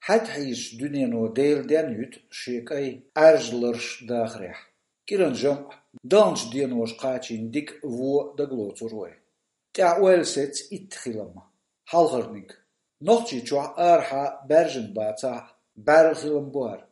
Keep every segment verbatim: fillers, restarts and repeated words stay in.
Хьаьта хьийзачу дуьнено Делан денна юьту шен кӀайн Ӏаьржа ларш дахарехь. КӀиран жамӀ, далначу деноша кхачийна дика вон дагалоцур вай. ТӀехь ойла сецна итт хилам. Хьалхарниг. Нохчийчохь арахьа баьржина бацахь, бӀаьрла хилам бу хӀара.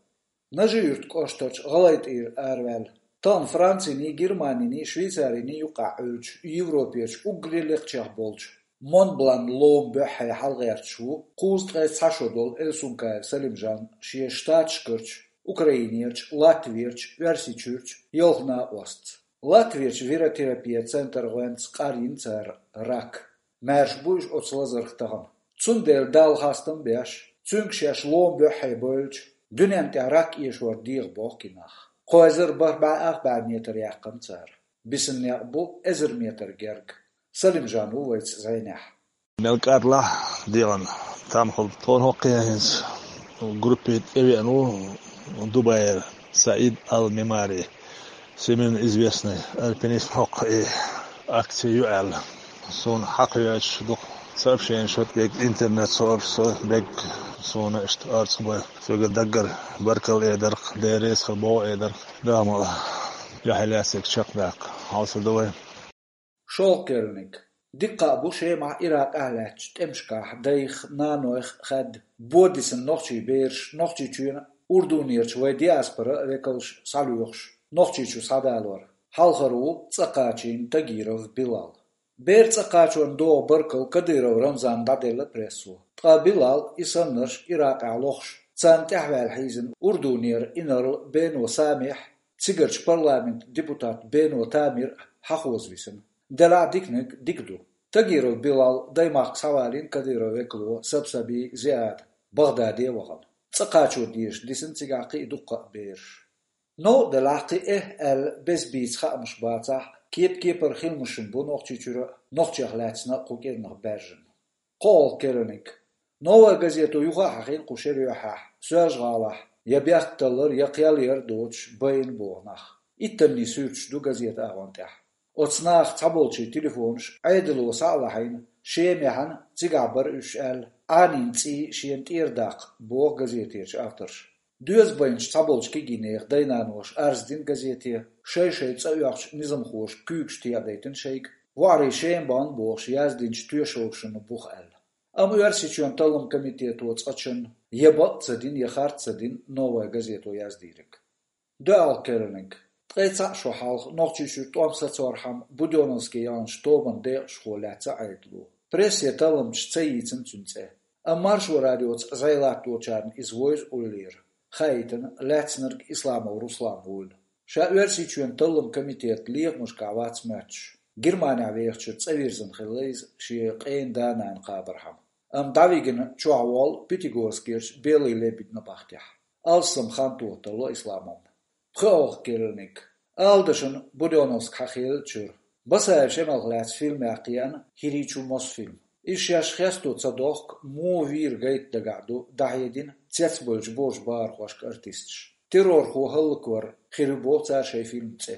Нажи-Юьртан кӀоштарчу ГӀалгӀайтӀера араваьлла, тахана Франциний, Германиний, Швейцариний юккъехь Ӏуьллучу Европерчу уггаре лекхачех болчу Монблан лома буьххье хьалагӀерташ ву кхузткъе цхьа шо долу Эльсункаев Салимжан шен Штаташкарчу, Украинерчу, Латверчу, Оьрсийчуьрчу ялх накъостца. Латверчу виротерапия центр гӀоьнца къарйина цара рак. Маьрша бу уьш оцу лазарх тахана. Цундела Далла хастам беш, цуьнга шаьш лома буьххье бевлча, дуьнен тӀехь рак эшор дегӀан боху и нах. Кхо эзар бархӀ бӀе ах бӀе метр яьккхина цара. Бисина некъ бу эзар метр герга. Салимжан ву вайца зӀенехь. Мел кӀадлахь дегӀан там хилла тхуна хӀокху хӀинца группе тӀевеана ву Дубайра Саид Ал-Мемари, всемирно известный альпинист, хӀокху и акци ю аьлла. Суна хьакхавоьдуш дукха сообщенеш, дерг интернет-сообщество, дерг суна иштта орцахь бан. Соьга даггара баркалла эдарх, Дела реза хила боху эдарх. Дала ма дуьхьал лаьцнарг чекхдаккха хьовсур ду вай. ШолгӀа керланиг. Дика хаа бу Шемахь, Иракъехь лаьттачу тӀемашкахь дайх, нанойх хаьдда, бо дисина нохчийн бераш Нохчийчоьнан, Урдунерчу вайн диаспоран векалш схьалоьхуш, Нохчийчу схьадалор. Хьалхара ву цӀа кхачийна Тагиров Билал. Бер цӀа кхачорна догӀу баркалла Кадыров Рамзанна дӀаделла прессо. Ткъа Билал, и саннарш Иракъехь лохуш, царна тӀаьхьаваьлла хьийзина Урдунера инарла Бено Самихь, цигарчу парламентан депутат Бено Тамир хьахоза висина. Делахь диканиг дика ду. Тагиров Билал даймахка схьавалийна Кадыровн векало Сабсаби Зиад, Багдаде вахана. ЦӀа кхачо дезаш дисина цигахь кхин а дуккха а бераш. Новкъа делахь, кхин эхь аьлла, беза-бийца хаамаш бацахь, кеп-кепара хиламашна бу Нохчийчуьра а, нохчех лаьцна а кху кӀирнах баьржина. КхоалгӀа керланиг. «Новая газета» юха а хьахийна кху шеран юьххьехь, Соьлжа-ГӀалахь я бехк таллар, я кхел яр доцуш байна боху нах. Иттанний суьрташ ду газетан агӀон тӀехь. Оцу наха цхьаболчийн телефонаш Ӏедало схьа а лахьийна, Шемахь а, цигахь бара уьш аьлла, Ӏанийна цӀий шена тӀера даккха, боху газетерчу авторша. Доьза байначу цхьаболчу кегийнехан дай-наноша арз дина газете, шай-шай цӀа оьхучу низамхоша куьйгаш тӀедайтина шайга, воӀарий Шема бахна бохуш яздинчу тоьшаллашна буха аьлла. Амма Оьрсийчоьнан талламан комитето цкъачунна я бакъ ца дина, я харц ца дина «Новая газето» яздийриг. ДоьалгӀа керланиг. Ткъе цхьаъ шо хьалха Нохчийчуьра тӀом сацорхьама Будённовски яханчу тобанан декъашхо лаьцна Ӏедало. Прессе талламчаш ца йийцина цуьнан цӀе. Амма Маршо радиоца зӀе латточарна иза вевза уллера. Хаийтина, лаьцнарг Исламов Руслан вуйла. Ша Оьрсийчоьнан талламан комитетан лехамашкахь вац моьттуш. Германехь вехачуьра цӀа вирзина хилла иза шен къена да-нана кхабархьама. Амма дӀавигина чохь воллу Пятигорскерчу Белый лебедьна бахкехь. Алссам хан тоха тарло Исламовна. ПхоьалгӀа керланиг. Ала дан шуна Будённовски хьахийллачуьра. Басаев Шемалх лаьцна фильмех кхиъна «ХӀирийчу» Мосфильм. Иза шаьш хесто ца дохку, муха вийра гайта дагахь ду, дӀахьедина цецбевллачу божаршка, бахархошка артисташа. Террорхо хӀаллаквар хир ю боху цара шайн фильман цӀе.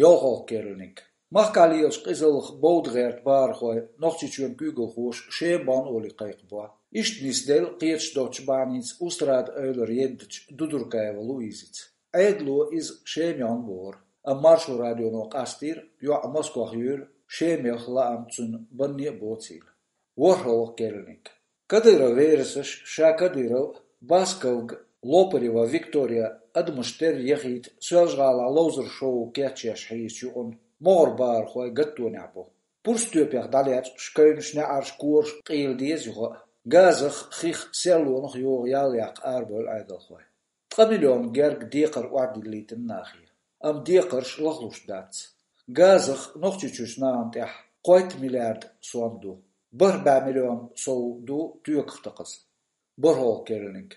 ЙолхалгӀа керланиг. Махкахь лелачу къизаллах бовда гӀерта бахархой Нохчийчоьнан куьйгалхоша Шема бахна олий кхайкхабо. Иштта нисделла кхеташ доцучу бахьаница Устрада-Эвлара еддачу Дудуркаева Луизица. Ӏедало иза Шема яхна бохура, амма Маршо радионо къастийра, йоӀ Москвахь юьйра, Шемех лаам цуьнан банне а боцийла. ВорхӀалгӀа керланиг. Кадыров верасаш, ша Кадыров, Басковга Лопарева Виктория адамаш терра яхийта Соьлжа-ГӀалахь ловзар шоу кечъеш хьийзачу юкъанна могӀара бахархой гаттонехь бу. Пурстоьпех дӀалечкъаш, кевнаш, неӀарш, кораш къийла деза юха а. Газах, хих, серлонах йогӀу ял яккха арабевлла Ӏедалхой. Ткъа миллион герга декхар охьадиллийтина нахе. Амма декхарш лахлуш дац. Газах Нохчийчуьрчу нахана тӀехь кхойтта миллиард сом ду. БархӀ бӀе миллион сов ду тоьках такхаза. БорхӀалгӀа керланиг.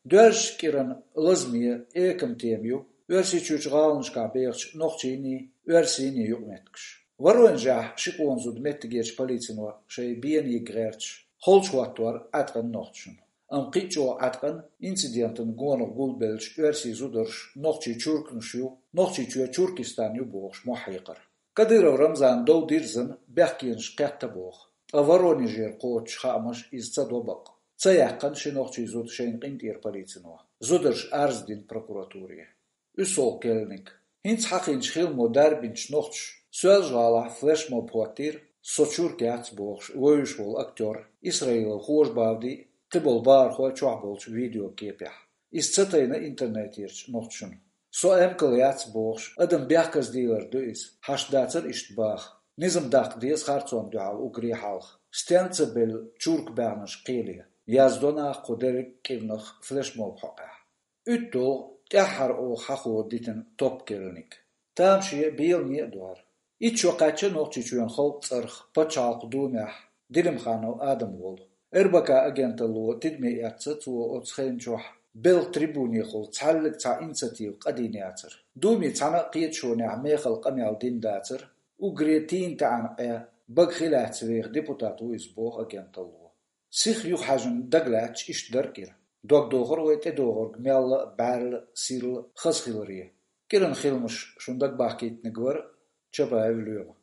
Доьрзачу кӀиран лазаме, экама тема ю Оьрсийчуьрчу гӀаланашкахь бехачу нохчийний, оьрсийний юкъаметтигаш. Воронежехь ши къона зуда меттигерчу полицино шайн бена йига гӀерташ, холчу хӀоттор Ӏаткъина нохчашна. Амма кхин а чӀогӀа Ӏаткъина инцидентан гонах гулбеллачу оьрсийн зударша нохчийн чурканаш ю, Нохчийчоь Чуркистан ю бохуш мохь хьекхар. Кадыров Рамзана дов дирзина бехкенаш кхетта боху, ткъа Воронежера кхочуш хаамаш иза ца до бакъ. Ца яьккхина ши нохчийн зуда шайна къинтӀера полицино. Зударша арз дина прокуратуре. УьссолгӀа керланиг. ХӀинца хьахинчу хиламо дарбинчу нохчаша Соьлжа-ГӀалахь флешмоб хӀоттийра, со чурк яц бохуш, вевзаш волу актёр Исраилов Хожа Бавди а, кхиболу бахархой чохь болчу видеокепехь. Иза ца тайна интернетерчу нохчашна. Со эмкал яц бохуш, адам бехказа дийлар ду иза, хьашт дацара иштта баха. Низам даккха деза харцонна дуьхьал уггаре хьалха. Стенна ца белла чурк баьхнарш кхеле, яздо наха кху дерриг а кӀирнах флешмоб хьокъехь. УьтталгӀа тӀаьххьара оха хьахо дитина топ керланиг. Тамаше а, беламе а ду хӀара. Итт шо кхаьчна Нохчийчоьнан халкъан цӀарах Пачхьалкхан Думехь Делимханов Адам волу. РБК агенталло тидаме эцна цо оцу хенан чохь белхан трибунехула цхьаьллиг цхьа инициатива къадийна яцара. Думе цхьана а кхеташонехь мехала къамел дина дацара, уггаре тийна таӀзар Ӏе, бага хи лаьцна веха депутат ву иза боху агенталло. Сиха юхахьаьжна дагалаьцча иштта дара кӀира. Дог дохура вай тӀедогӀург мелла а бӀаьрла а, сирла а хаза хиларе. КӀиран хиламаш шуна дагабахкийтинарг вара Чабаев Лоьма.